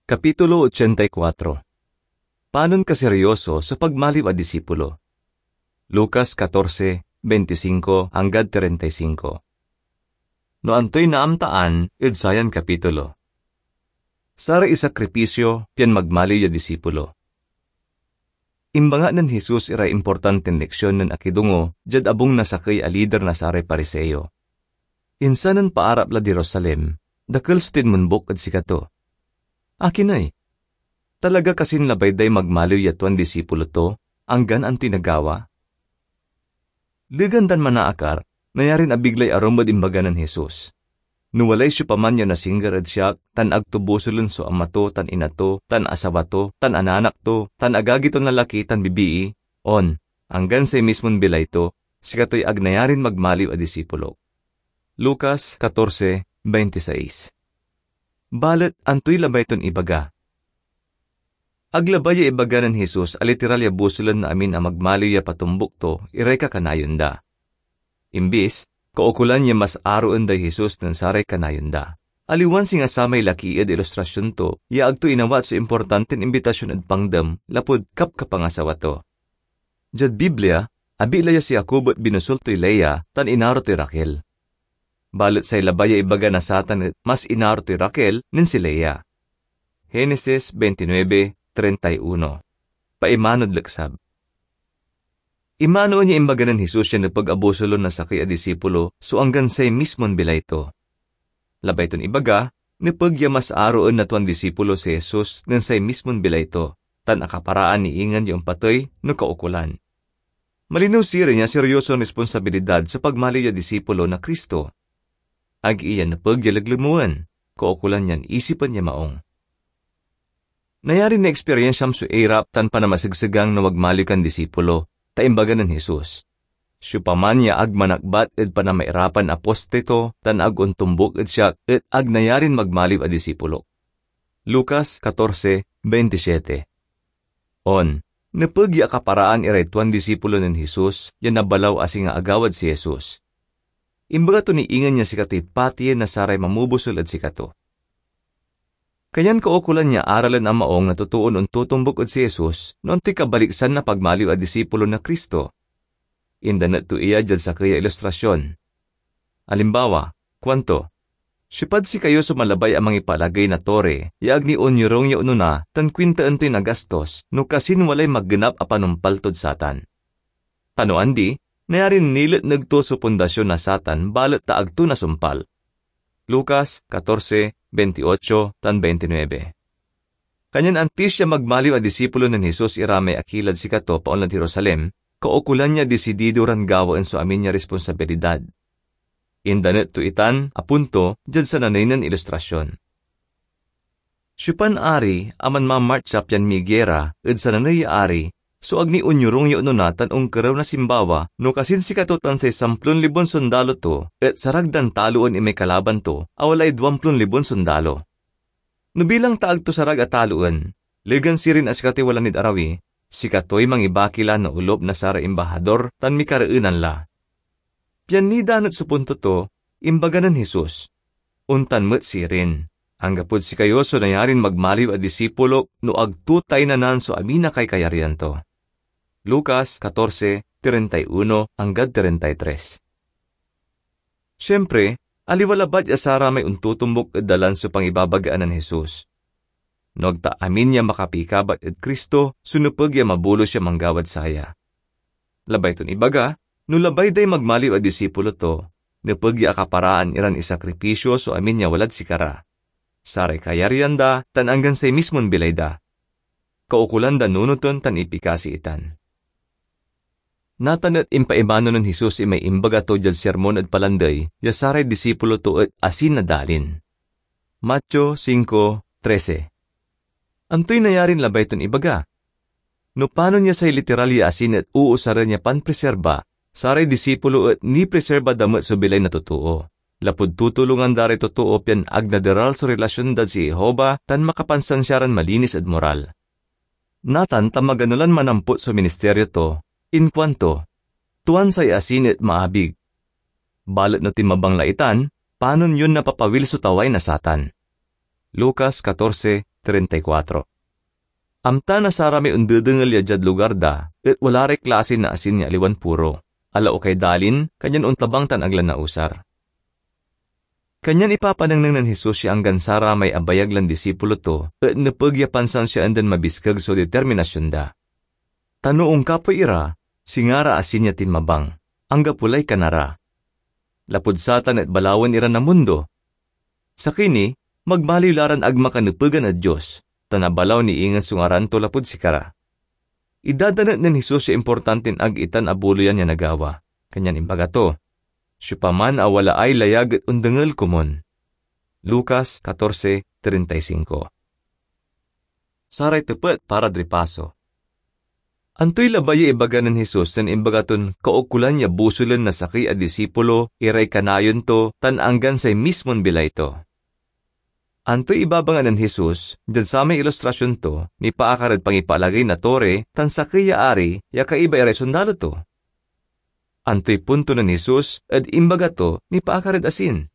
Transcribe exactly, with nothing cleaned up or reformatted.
Kapitulo ochenta y kuatro. Panon kaseryoso so pagmaliw a disipulo. Lucas katorse, beintisinko anggad treinta y singko. No antoy naamtaan ed sayan kapitulo? Saray isakripisyo pian magmaliw ya disipulo. Imbangat nen Jesus iray importantin leksion nen akidongo diad abung na sakey a lider na saray Pariseo. Insan nen paarap lad Jerusalem, dakel so tinmonbuk ed sikato. Akin ey? Talaga kasin labay day magmaliw ya tuan disipulo to, anggan antoy nagawa? Legan dan manaakar, nayarin abiglay arum ed imbaga nen Jesus. No walay siopaman ya onasingger ed siak, tan ag to bosulen so ama to, tan ina to, tan asawa to, tan anak to, tan agagi ton lalaki tan bibii, on, anggan say mismon bilay to, sikatoy ag nayarin magmaliw a disipulok. Lucas katorse, beintiseis. Balet antoy labay ton ibaga? Ag labay ya ibaga nen Jesus a literal ya bosulen na amin a magmaliw ya patombuk to iray kakanayon da. Imbis, kaukolan ya mas aroen day Jesus nen saray kanayon da. Aliwan singa samay laki ed ilustrasyon to ya ag to inawat so importantin imbitasyon ed pangdem lapud kapkapangasawa to. Diad Biblia, abig la ya si Jacob et binosul toy Lea tan inaro toy Raquel. Balet say labay ya ibaga na satan et mas inaro toy Raquel nen si Lea. Genesis veintinueve, treinta y uno. Paimanod leksab. Imanoen ya imbaga nen Jesus ya nepeg a bosulen na sakey a disipulo so anggan say mismon bilay to. Labay ton ibaga, nepeg ya mas aroen na tuan disipulo si Jesus nen say mismon bilay to, tan akaparaan ni ingen ya ompatey no kaukolan. Malinew sirin ya seryoson responsabilidad so pagmaliw ya disipulo na Cristo. Ag iya nepeg ya leglemoen, kaukolan yan isipen ya maong. Nayarin naeksperyensiam so irap tan panamasegsegang na magmaliw kan disipulo, ta imbaga nen Jesus, "Siopaman ya ag manakbat ed panamairapan a poste to tan ag ontombuk ed siak et ag nayarin magmaliw a disipulok." Lucas katorse, beintisyete. On, nepeg ya akaparaan iray tuan disipulo nen Jesus ya nabalaw a singa agawad si Jesus. Imbaga to ni ingen ya sikatoy patien na saray mamobusel ed sikato. Kanyan kaukolan ya aralen a maong na totoon ontotombuk ed si Jesus no antoy kabaliksan na pagmaliw a disipulo na Cristo. Indanet to iya diad sakey a ilustrasyon. Alimbawa, kuanto, "Siopad sikayo so malabay a mangipalagey na tore ya ag ni onyorung ya onona tan kuintaen toy nagastos no kasin walay magenap a panumpal tod satan? Ta no andi, nayarin niletneg to so pundasyon na satan balet ta ag to nasumpal." Lucas katorse, beintiotso tan beintinuebe. Kanyan antis ya magmaliw a disipulo nen Jesus ira may akilad sikato paonlad Jerusalem, kaukolan ya disidido ran gawaen so amin ya responsabilidad. Indanet to itan a punto diad sananey nen ilustrasyon. Siopan ari a manmamartsa pian migira ed sananey ya ari so ag ni onyorung ya onona tan onkerew na simbawa no kasin sikato tan say samplon libon sondalo to et sarag dan taloen imay kalaban to a walay duamplon libon sondalo? No bilang ta ag to sarag a taloen, legan sirin a sikatoy wala nid arawi, sikatoy mangibaki la na olop na saray imbahador tan mikareenan la. Pian nidanet so punto to, imbaga nen Jesus, "Ontan met sirin, anggapod sikayo so nayarin magmaliw a disipulok no ag to taynanan so amin a kaikayarian to." Lucas katorse, treinta y uno anggad treinta y tres. Siempre, aliwa labat ya saramay ontotombuk ed dalan so pangibabagaan nen Jesus. No ag ta amin ya makapikabat ed Cristo so nepeg ya mabulos ya manggawad saya. Labay ton ibaga, no labay day magmaliw a disipulo to, nepeg ya akaparaan iran isakripisyo so amin ya walad sikara, saray kayaryan da, tan anggan say mismon bilay da. Kaukolan da nunoten tan ipikasi itan. Natan et impaimano nen Jesus imay imbaga to diad Sermon ed Palandey ya saray disipulo to et asin na dalin. Mateo singko trese. Antoy nayarin labay ton ibaga? No panon ya say literal ya asin et uusaren ya panpreserba, saray disipulo et nipreserba da met so bilay na totoo, lapud tutulongan da ray totoo pian ag naderal so relasyon dad si Jehovah tan makapansansia ran malinis ed moral. Natan ta magano lan manampot so ministeryo to, inkuanto, "Tuan say asin et maabig. Balet no tinmabang la itan, panon yon napapawil so taway na satan." Lucas katorse, treinta y cuatro. Amta na saramay ondedengel ya diad lugar da et wala ray klase na asin ya aliwan puro. Alaukay dalin, kanyan ontabang tan ag la nausar. Kanyan ipapanengneng nen Jesus ya anggan saramay abayag lan disipulo to et nepeg ya pansansiaen dan mabiskeg so determinasion da. Ta no onkapoy ira, singa ra asin ya tinmabang, anggapo lay kana ra. Lapud satan et balawen ira na mundo. Sakey ni, magmaliw la ran ag makanepegan ed Dios, tan abalaw ni ingen so ngaran to lapud sikara. Idadanet nen Jesus ya importantin ag itan abuloyan ya nagawa, kanyan imbaga to, "Siopaman a walaay layag et ondengel komun." Lucas catorce treinta y cinco. Saray tepet para ed ripaso. Antoy labay ya ibaga nen Jesus nen imbaga ton kaukolan ya bosulen na sakey a disipulo iray kanayon to tan anggan say mismon bilay to? Antoy ibabaga nen Jesus diad samay ilustrasion to nipaakar ed pangipaalagey na tore tan sakey ya ari ya kaiba iray sondalo to? Antoy punto nen Jesus ed imbaga to nipaakar ed asin?